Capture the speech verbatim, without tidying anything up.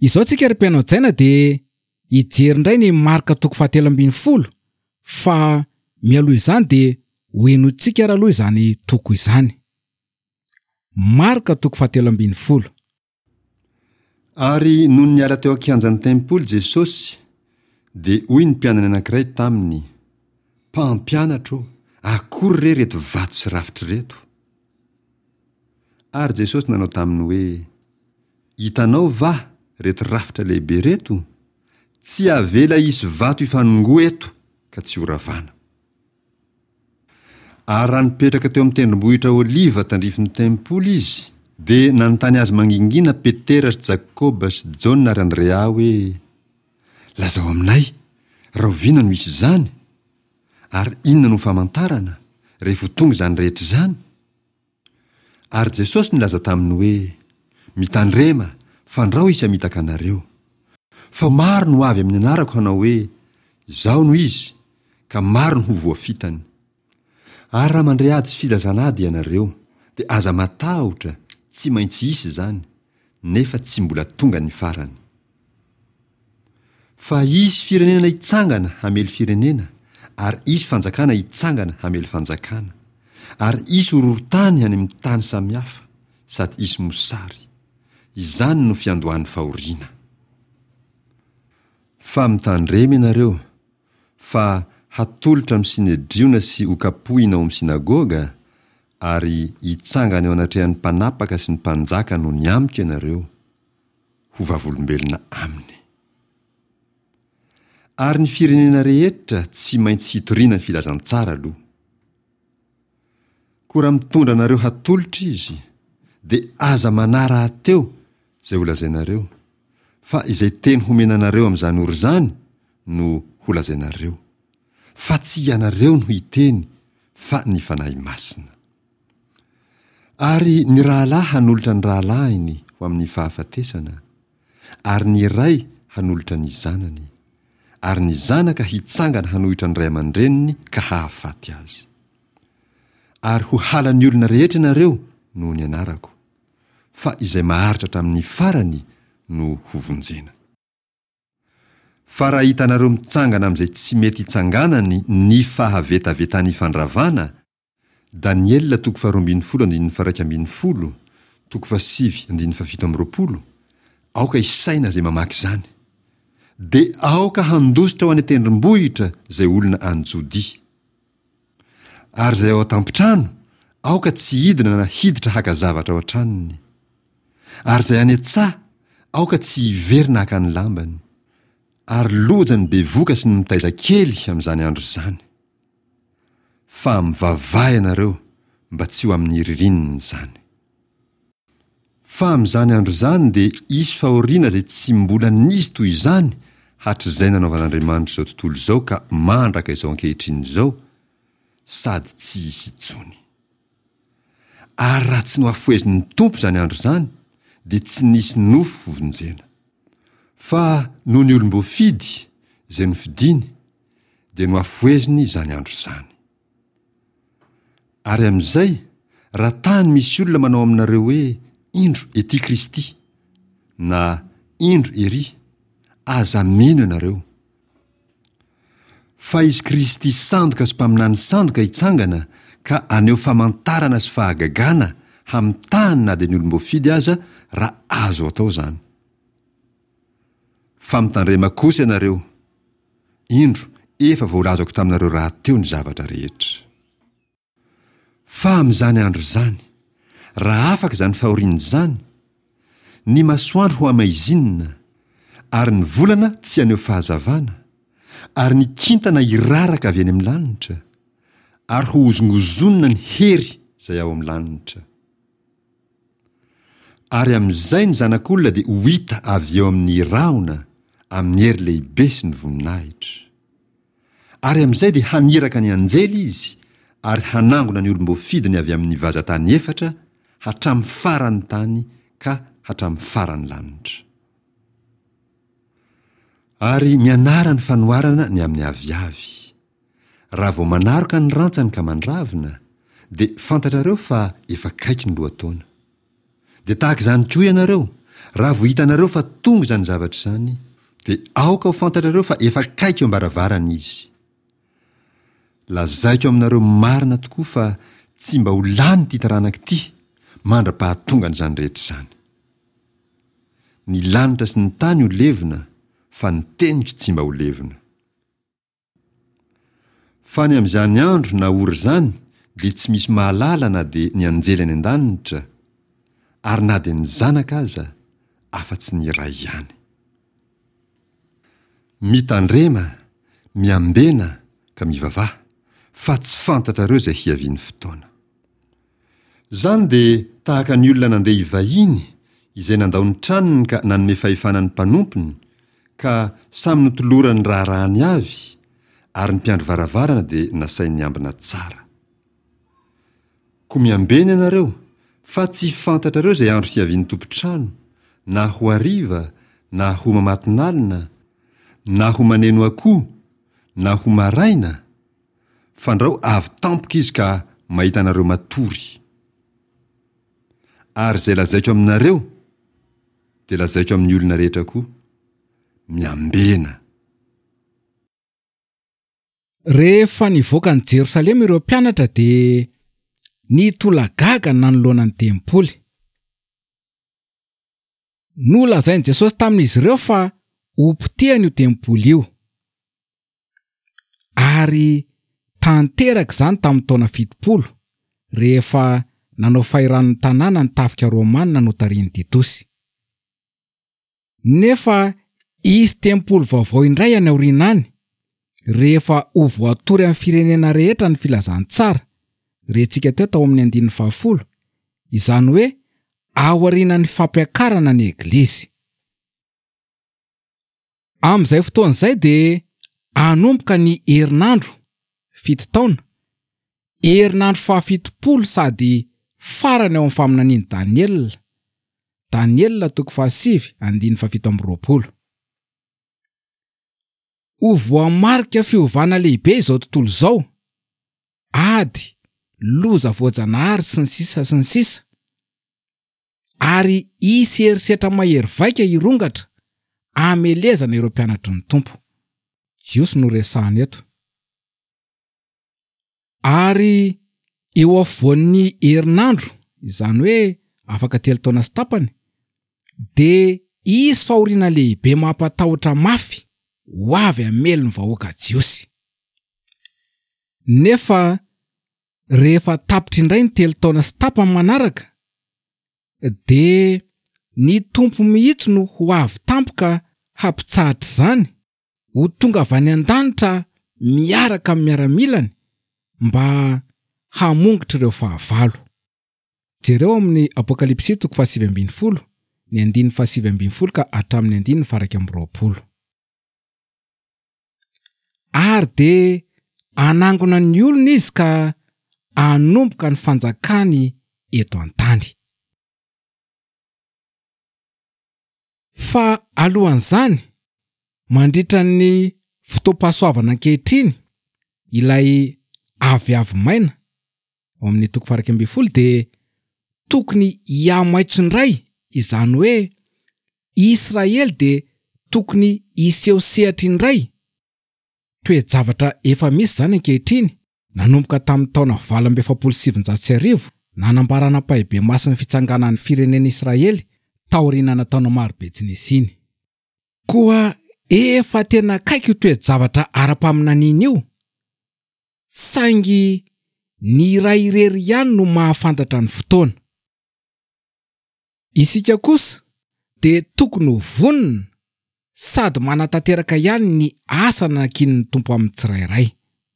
Izao tsika ry mpihaino hajaina dia hijery indray ny Marka toko fahatelo ambin'ny folo fa mialoha izany dia ho henointsika ary aloha izany toko izany. Marka toko fahatelo ambin'ny folo. Ary nony niala teo an-kianjan'ny tempoly Jesosy, dia hoy ny mpianany anankiray taminy, Mpampianatra ô, akory re ireto vato sy rafitra ireto? Ary Jesosy nanao taminy hoe, Hitanao va reto rafitra lehibe ireto? Tsy avela hisy vato hifanongoa eto ka tsy horavana. Ary raha nipetraka teo amin'ny tendrombohitra Oliva tandrifin'ny tempoly izy, dia nanontany azy mangingina Petera sy Jakoba sy Jaona ary Andrea hoe, Lazao aminay, rahoviana no hisy izany? Ary inona no famantarana, rehefa ho tonga izany rehetra izany? Ary Jesosy nilaza taminy hoe, Mitandrema, fandrao hisy hamitaka anareo. Fa maro no ho avy amin'ny anarako hanao hoe, Izaho no Izy, ka maro no ho voafitany. Ary raha mandre ady sy filazana ady ianareo, dia aza matahotra, tsy maintsy hisy izany, nefa tsy mbola tonga ny farany. Fa hisy firenena hitsangana hamely firenena, ary hisy fanjakana hitsangana hamely fanjakana, ary hisy horohorontany any amin'ny tany samihafa, sady hisy mosary. Izany no fiandohan'ny fahoriana. Fa mitandrema ianareo, fa hatolotra amin'ny Synedriona sy hokapohina ao amin'ny synagoga, ary hitsangana eo anatrehan'ny mpanapaka sy ny mpanjaka noho ny amiko ianareo, ho vavolombelona aminy. Ary ny firenena rehetra tsy maintsy hitoriana ny filazantsara aloha. Koa raha mitondra anareo hatolotra izy, dia aza manahy rahateo izay holazainareo, fa izay teny homena anareo amin'izany ora izany no holazainareo, fa tsy ianareo no hiteny fa ny Fanahy Masina. Ary ny rahalahy hanolotra ny rahalahiny ho amin'ny fahafatesana, ary ny ray hanolotra ny zanany, ary ny zanaka hitsangana hanohitra ny ray aman-dreniny ka hahafaty azy. Ary ho halan'ny olona rehetra ianareo noho ny anarako, fa izay maharitra hatramin'ny farany no hovonjena. Fa raha hitanareo mitsangana amin'izay tsy mety hitsanganany ny fahavetavetan'ny fandravana, Daniela toko faharoa ambin'ny folo andininy faharaika ambin'ny folo, toko fahasivy andininy fahafito amby roapolo, aoka hisaina izay mamaky izany. Dia aoka handositra ho any an-tendrombohitra izay olona any Jodia. Ary izay ao an-tampon-trano, aoka tsy hidina na hiditra haka zavatra ao an-tranony. Ary izay any an-tsaha, aoka tsy hiverina haka ny lambany. Ary loza ny bevoka sy ny mitaiza kely amin'izany andro izany. Fa mivavaha ianareo mba tsy ho amin'ny ririnina izany. Fa amin'izany andro izany dia hisy fahoriana izay tsy mbola nisy toy izany hatrizay nanaovan'Andriamanitra izao tontolo izao ka mandraka izao ankehitriny izao, sady tsy hisy intsony. Ary raha tsy nohafohezin'ny Tompo izany andro izany, dia tsy nisy nofo hovonjena. Fa noho ny olom-boafidy, izay nofidiny, dia nohafoheziny izany andro izany. Ary amin'izay, raha tany misy olona manao aminareo hoe, Indro ety Kristy, na Indro ery, aza mino ianareo. Fa hisy Kristy sandoka sy mpaminany sandoka hitsangana ka haneho famantarana sy fahagagana hamitahany na dia ny olom-boafidy aza, raha azo atao izany. Fa mitandrema kosa ianareo, indro, efa voalazako taminareo rahateo ny zavatra rehetra. Fa amin'izany andro izany, raha afaka izany fahoriana izany, ny masoandro ho hamaizinina, ary ny volana tsy haneho fahazavana, ary ny kintana hiraraka avy any amin'ny lanitra, ary hohozongozonina ny hery izay ao amin'ny lanitra. Ary amin'izay ny Zanak'olona dia ho hita avy eo amin'ny rahona amin'ny hery lehibe sy ny voninahitra. Ary amin'izay dia haniraka ny anjely izy ary hanangona ny olom-boafidiny avy amin'ny vazan-tany efatra hatramin'ny faran'ny tany ka hatramin'ny faran'ny lanitra. Ary mianara ny fanoharana ny amin'ny aviavy. Raha vao manaroka ny rantsany ka mandravina, dia fantatrareo fa efa akaiky ny lohataona. Dia tahaka izany koa ianareo, Raha vao hitanareo fa tonga izany zavatra izany, dia aoka ho fantatrareo fa efa akaiky eo am-baravarana izy. Lazaiko aminareo marina tokoa fa tsy mba ho lany ity taranaka ity mandra-pahatongan'izany rehetra izany. Ny lanitra sy ny tany ho levona, fa ny teniko tsy mba ho levona. Fa ny amin'izany andro na ora izany dia tsy misy mahalala na dia ny anjely any an-danitra, ary na dia ny Zanaka aza, afa-tsy ny Ray ihany. Mitandrema, miambena, ka mivavaha, fa tsy fantatrareo izay hiavian'ny fotoana. Izany dia tahaka ny olona nandeha hivahiny, izay nandao ny tranony ka nanome fahefana ny mpanompony, ka samy notolorany ny raharahany avy, ary ny mpiandry varavarana dia nasainy niambina tsara. Koa miambena ianareo, fa tsy fantatrareo izay andro hiavian'ny tompon-trano, na ho hariva, na ho mamatonalina, na ho maneno akoho, na ho maraina, fandrao avy tampoka izy ka mahita anareo matory. Ary izay lazaiko aminareo, dia lazaiko amin'ny olona rehetra koa, miambena. Rehefa nivoaka an'i Jerosalema ireo mpianatra dia nitolagaga nanoloana ny tempoly. Nolazain'i Jesosy tamin'izy ireo fa hopotehany io tempoly io. Ary tanteraka izany tamin'ny taona fitopolo, rehefa nanao fahirano ny tanàna ny tafika romana notarihin'i Titosy. Nefa hisy tempoly vaovao indray any aoriana any, rehefa ho voatory amin'ny firenena rehetra ny filazantsara, rentsika teo tao amin'ny andininy fahafolo, izany hoe aorianan'ny fampiakarana ny Eglizy. Amin'izay fotoana izay dia hanomboka ny herinandro fito taona, herinandro fahafitopolo sady farany ao amin'ny faminanian'i Daniela, Daniela toko fahasivy andininy fahafito amby roapolo. Ho voamarika fiovana lehibe izao tontolo izao, ady, loza voajanahary sy ny sisa sy ny sisa, ary hisy herisetra mahery vaika hirongatra hamelezana ireo mpianatry ny Tompo. Jiosy no resahana eto. Ary eo afovoan'ny herinandro, izany hoe afaka telo taona sy tapany, dia hisy fahoriana lehibe mampatahotra mafy ho avy hamely ny vahoaka jiosy. Nefa rehefa tapitra indray ny telo taona sy tapany manaraka, dia ny Tompo mihitsy no ho avy tampoka hampitsahatra izany, ho tonga avy any an-danitra miaraka amin'ny miaramilany mba hamongotra ireo fahavalo. Jereo amin'ny Apokalypsy toko fahasivy ambin'ny folo, ny andininy fahasivy ambin'ny folo ka hatramin'ny andininy faha-iraika amby roapolo. Ary dia hanangona ny olona izy ka hanomboka ny fanjakany eto an-tany. Fa alohan'izany, mandritra ny fotoam-pahasoavana ankehitriny, ilay aviavy maina ao amin'ny toko faha-iraika ambin'ny folo dia tokony hihamaitso indray, izany hoe Israely dia tokony hiseho sehatra indray. Toe-javatra efa misy izany ankehitriny, nanomboka tamin'ny taona valo amby efapolo sy sivinjato sy arivo, nanambarana ampahibemaso ny fitsanganan'ny firenena Israely taoriana taona marobe tsy nisiany. Koa efa tena akaiky io toe-javatra ara-paminaniana io, saingy ny iray irery ihany no mahafantatra ny fotoana. Isika kosa dia tokony ho vonona sady manatanteraka ihany ny asa nankinin'ny Tompo amin'ny tsirairay.